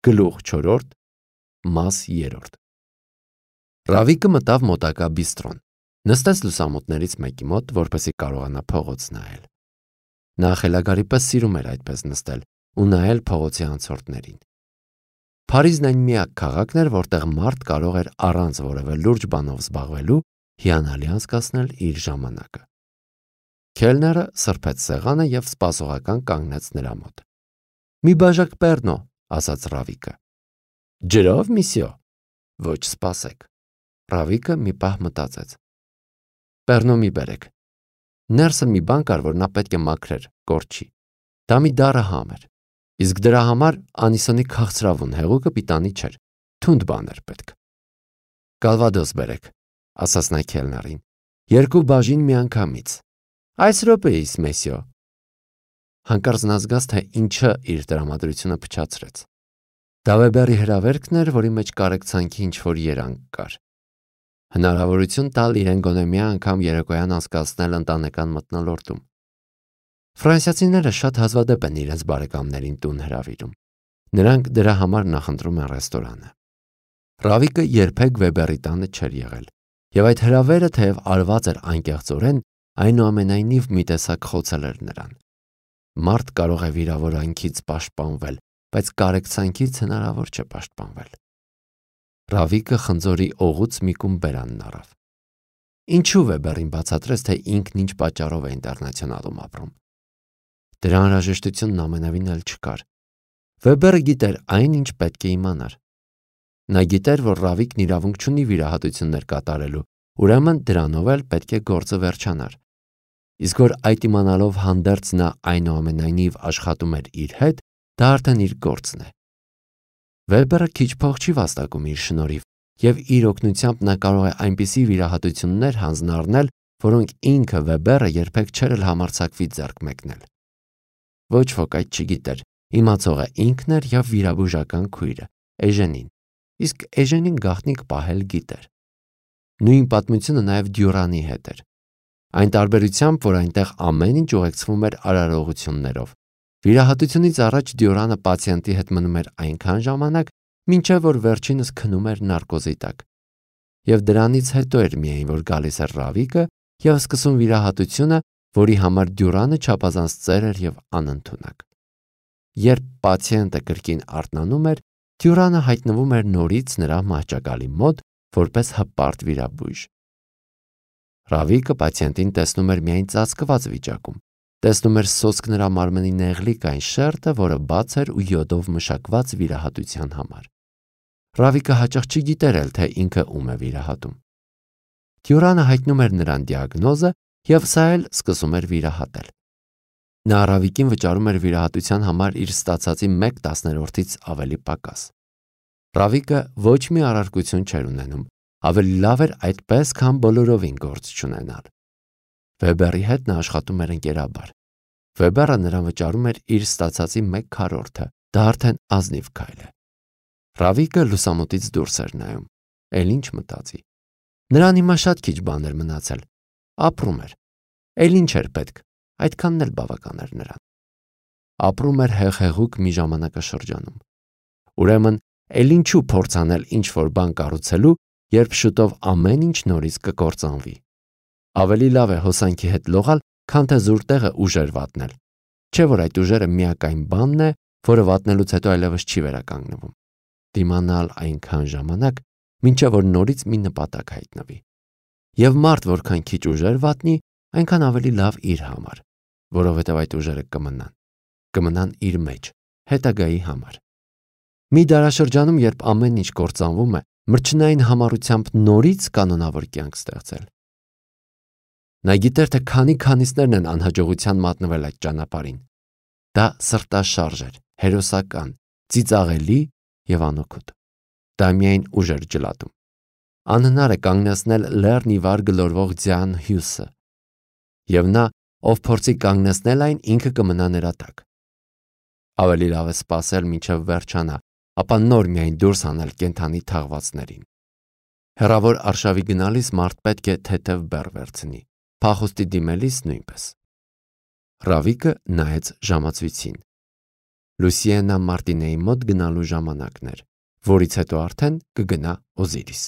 Գլուխ 4, մաս 3։ Ռավիկը մտավ մոտակա բիստրոն, նստեց լուսամուտներից մեկի մոտ, որպեսզի կարողանա փողոց նայել։ Նա խելագարի պես սիրում էր այդպես նստել ու նայել փողոցի անցորդներին։ Փարիզն այն միակ քաղաքն էր, որտեղ մարդ կարող էր առանց որևէ լուրջ բանով զբաղվելու հիանալի անցկացնել իր ժամանակը։ Քելները սրբեց սեղանը և սպասողական կանգնեց նրա մոտ։ «Մի բաժակ պեռնո», ասաց Ռավիկը։ «Ջրով, միսյո»։ «Ոչ, սպասեք»։ Ռավիկը մի պահ մտածեց։ «Պեռնո մի բերեք»։ Ներսը մի բան կար, որ նա պետք է մաքրեր, կորչի։ Դա մի դառը համ էր, իսկ դրա համար անիսոնի քաղցրավուն հեղուկը պիտանի չէր, թունդ բան էր պետք։ «Կալվադոս բերեք», ասաց նա քելներին, 2 բաժին միանգամից։ «Այս րոպեիս, մեսյո»։ Հանկարծ նա զգաց, թե ինչը իր տրամադրությունը փչացրեց։ Դա Վեբերի հրավերքն էր, որի մեջ կարեկցանքի ինչ-որ երանգ կար։ Հնարավորություն տալ իրեն գոնե մի անգամ երեկոյան անցկացնել ընտանեկան մթնոլորտում։ Ֆրանսիացիները շատ հազվադեպ են իրենց բարեկամներին տուն հրավիրում։ Նրանք դրա համար նախընտրում են ռեստորանը։ Ռավիկը երբեք Վեբերի տանը չէր եղել, և այդ հրավերը, թեև արված էր անկեղծորեն, այնուամենայնիվ մի տեսակ խոցել էր նրան։ Մարդ կարող է վիրավորանքից պաշտպանվել, բայց կարեկցանքից հնարավոր չէ պաշտպանվել։ Ռավիկը խնձորի օղուց մի կում բերանն առավ։ Ինչու Վեբերին բացատրեց, թե ինքն ինչ պատճառով է ինտերնացիոնալում ապրում։ Դրա անհրաժեշտությունն ամենևին էլ չկար։ Վեբերը գիտեր այն, ինչ պետք է իմանար։ Նա գիտեր, որ Ռավիկն իրավունք չունի վիրահատություններ կատարելու, ուրեմն դրանով էլ պետք է գործը վերջանար։ Իսկ որ այդ իմանալով հանդերձ նա այնուամենայնիվ աշխատում էր իր հետ, դա արդեն իր գործն է։ Վեբերը քիչ փող չի վաստակում իր շնորհիվ, և իր օգնությամբ նա կարող է այնպիսի վիրահատություններ հանձնառնել, որոնք ինքը Վեբերը երբեք չէր էլ համարձակվի ձեռք մեկնել։ Ոչ ոք այդ չգիտեր, իմացողը ինքն էր և վիրաբուժական քույրը, Էժենին, իսկ Էժենին գաղտնիք պահել գիտեր։ Նույն պատմությունը նաև Դյուրանի հետ էր։ Այն տարբերությամբ, որ այնտեղ ամեն ինչ ուղեկցվում էր արարողություններով։ Վիրահատությունից առաջ Դյուրանը պացիենտի հետ մնում էր այնքան ժամանակ, մինչև որ վերջինս քնում էր նարկոզի տակ։ Եվ դրանից հետո էր միայն, որ գալիս էր Ռավիկը և սկսում վիրահատությունը, որի համար Դյուրանը չափազանց ծեր էր և անընդունակ։ Երբ պացիենտը կրկին արթնանում էր, Դյուրանը հայտնվում էր նորից նրա մահճակալի մոտ, որպես հպարտ վիրաբույժ։ Ռավիկը պացիենտին տեսնում էր միայն ծածկված վիճակում, տեսնում էր սոսկ նրա մարմնի նեղլիկ այն շերտը, որը բաց էր ու յոդով մշակված վիրահատության համար։ Ռավիկը հաճախ չգիտեր էլ, թե ինքը ում է վիրահատում։ Դյուրանը հայտնում էր նրան դիագնոզը, և սա էլ սկսում էր վիրահատել։ Նա Ռավիկին վճարում էր վիրահատության համար իր ստացածի 1/10-ից ավելի պակաս։ Ռավիկը ոչ մի առարկություն չէր ունենում, ավելի լավ էր այդպես, քան բոլորովին գործ չունենալ։ Վեբերի հետ նա աշխատում էր ընկերաբար։ Վեբերը նրան վճարում էր իր ստացածի 1/4, դա արդեն ազնիվ քայլ է։ Ռավիկը լուսամուտից դուրս էր նայում, էլ ինչ մտածի։ Նրան հիմա շատ քիչ բան էր մնացել։ Ապրում էր։ Էլ ինչ էր պետք, այդքանն էլ բավական էր նրան։ Ապրում էր հեղեղուկ մի ժամանակաշրջանում։ Ուրեմն, էլ ինչու փորձ անել ինչ-որ բան կառուցելու, երբ շուտով ամեն ինչ նորից կկործանվի։ Ավելի լավ է հոսանքի հետ լողալ, քան թե զուր տեղը ուժեր վատնել։ Չէ՞ որ այդ ուժերը միակայն բանն է, որը վատնելուց հետո այլևս չի վերականգնվում։ Դիմանալ այնքան ժամանակ, մինչև որ նորից մի նպատակ հայտնվի։ Եվ մարդ որքան քիչ ուժեր վատնի, այնքան ավելի լավ իր համար, որովհետև այդ ուժերը կմնան իր մեջ, հետագայի համար։ Մի դարաշրջանում, երբ ամեն ինչ կործանվում է, մրջնային համառությամբ նորից կանոնավոր կյանք ստեղծել։ Նա գիտեր, թե քանիսներն են անհաջողության մատնվել այդ ճանապարհին։ Դա սրտաշարժ էր, հերոսական, ծիծաղելի և անօգուտ։ Դա միայն ուժ էր ջլատում։ Անհնար է կանգնեցնել լեռն ի վար գլորվող ձյան հյուսը։ Եվ նա, ով փորձի կանգնեցնել այն, ինքը կմնա նրա տակ։ Ավելի լավ է սպասել, մինչև վերջանա, ապա նոր միայն դուրս հանել կենդանի թաղվածներին։ Հեռավոր արշավի գնալիս մարդ պետք է թեթև բեռ վերցնի, փախուստի դիմելիս նույնպես։ Ռավիկը նայեց ժամացույցին։ Լուսիենա Մարտինեի մոտ գնալու ժամանակն էր, որից հետո արդեն կգնա Օզիրիս։